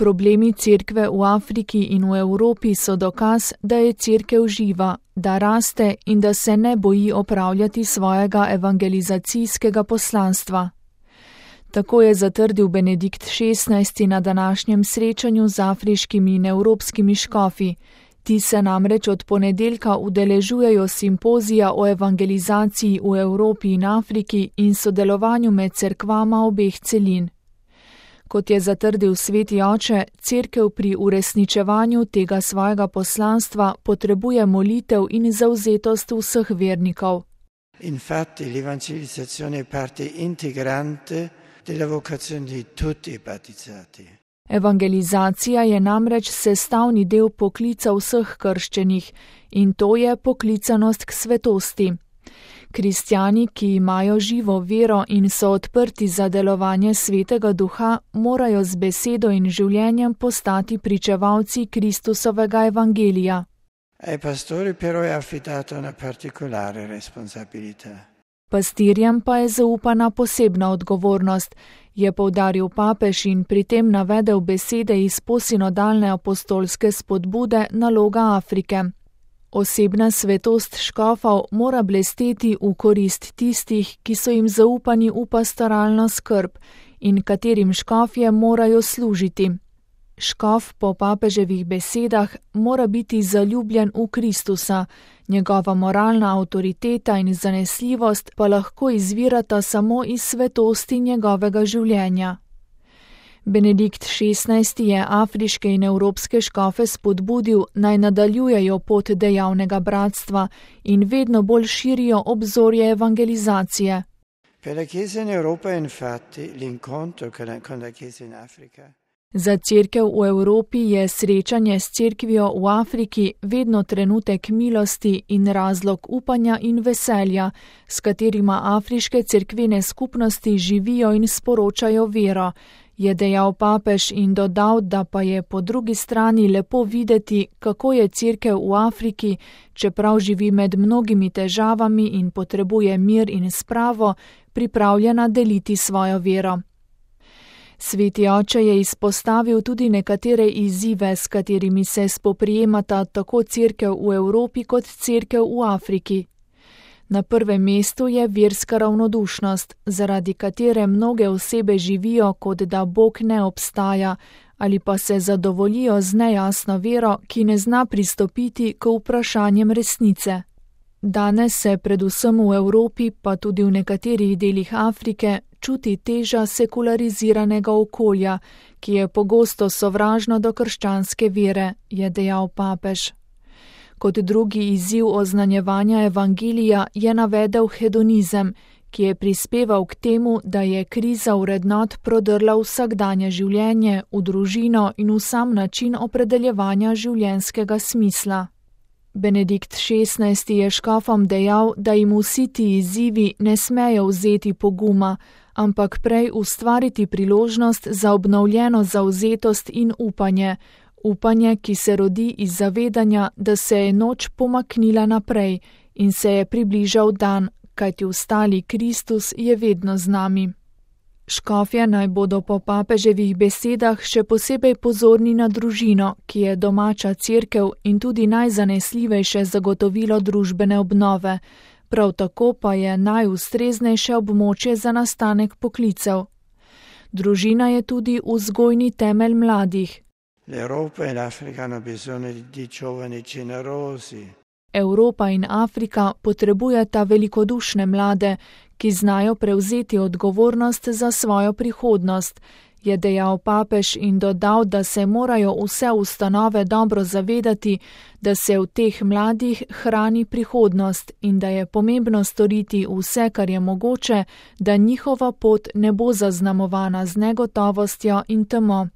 Problemi cerkve v Afriki in v Evropi so dokaz, da je cerkev živa, da raste in da se ne boji opravljati svojega evangelizacijskega poslanstva. Tako je zatrdil Benedikt XVI na današnjem srečanju z afriškimi in evropskimi škofi. Ti se namreč od ponedeljka udeležujejo simpozija o evangelizaciji v Evropi in Afriki in sodelovanju med cerkvama obeh celin. Kot je zatrdil sveti oče, cerkev pri uresničevanju tega svojega poslanstva potrebuje molitev in zavzetost vseh vernikov. Infatti l'evangelizzazione è parte integrante della vocazione di tutti i battezzati. Evangelizacija je namreč sestavni del poklica vseh krščenih in to je poklicanost k svetosti. Kristjani, ki imajo živo vero in so odprti za delovanje Svetega Duha, morajo z besedo in življenjem postati pričevalci Kristusovega evangelija. Ai pastori però è affidata una particolare responsabilità. Pastirjem pa je zaupana posebna odgovornost, je poudaril papež in pri tem navedel besede iz posinodalne apostolske spodbude Naloga Afrike. Osebna svetost škofov mora blesteti v korist tistih, ki so jim zaupani v pastoralno skrb in katerim škofje morajo služiti. Škof po papeževih besedah mora biti zaljubljen v Kristusa, njegova moralna avtoriteta in zanesljivost pa lahko izvirata samo iz svetosti njegovega življenja. Benedikt XVI je afriške in evropske škofe spodbudil, naj nadaljujejo pot dejavnega bratstva in vedno bolj širijo obzorje evangelizacije. Per la Chiesa in Europa infatti l'incontro con la Chiesa in Africa. Za cerkev v Evropi je srečanje s cerkvijo v Afriki vedno trenutek milosti in razlog upanja in veselja, s katerima afriške cerkvene skupnosti živijo in sporočajo vero, je dejal papež in dodal, da pa je po drugi strani lepo videti, kako je cerkev v Afriki, čeprav živi med mnogimi težavami in potrebuje mir in spravo, pripravljena deliti svojo vero. Sveti oče je izpostavil tudi nekatere izzive, s katerimi se spoprijemata tako cerkev v Evropi kot cerkev v Afriki. Na prvem mestu je verska ravnodušnost, zaradi katere mnoge osebe živijo, kot da Bog ne obstaja, ali pa se zadovoljijo z nejasno vero, ki ne zna pristopiti k vprašanjem resnice. Danes se predvsem v Evropi, pa tudi v nekaterih delih Afrike, čuti teža sekulariziranega okolja, ki je pogosto sovražno do krščanske vere, je dejal papež. Kot drugi izziv oznanjevanja evangelija je navedel hedonizem, ki je prispeval k temu, da je kriza vrednot prodrla vsakdanje življenje, v družino in v sam način opredeljevanja življenjskega smisla. Benedikt XVI je škofom dejal, da jim vsi ti izzivi ne smejo vzeti poguma, ampak prej ustvariti priložnost za obnovljeno zavzetost in upanje, upanje, ki se rodi iz zavedanja, da se je noč pomaknila naprej in se je približal dan, kajti vstali Kristus je vedno z nami. Škofje naj bodo po papeževih besedah še posebej pozorni na družino, ki je domača cerkev in tudi najzanesljivejše zagotovilo družbene obnove, prav tako pa je najustreznejše območje za nastanek poklicev. Družina je tudi vzgojni temelj mladih. L'Europa e l'Africa hanno bisogno di giovani generosi. Evropa in Afrika potrebujeta velikodušne mlade, ki znajo prevzeti odgovornost za svojo prihodnost, je dejal papež in dodal, da se morajo vse ustanove dobro zavedati, da se v teh mladih hrani prihodnost in da je pomembno storiti vse, kar je mogoče, da njihova pot ne bo zaznamovana z negotovostjo in temo.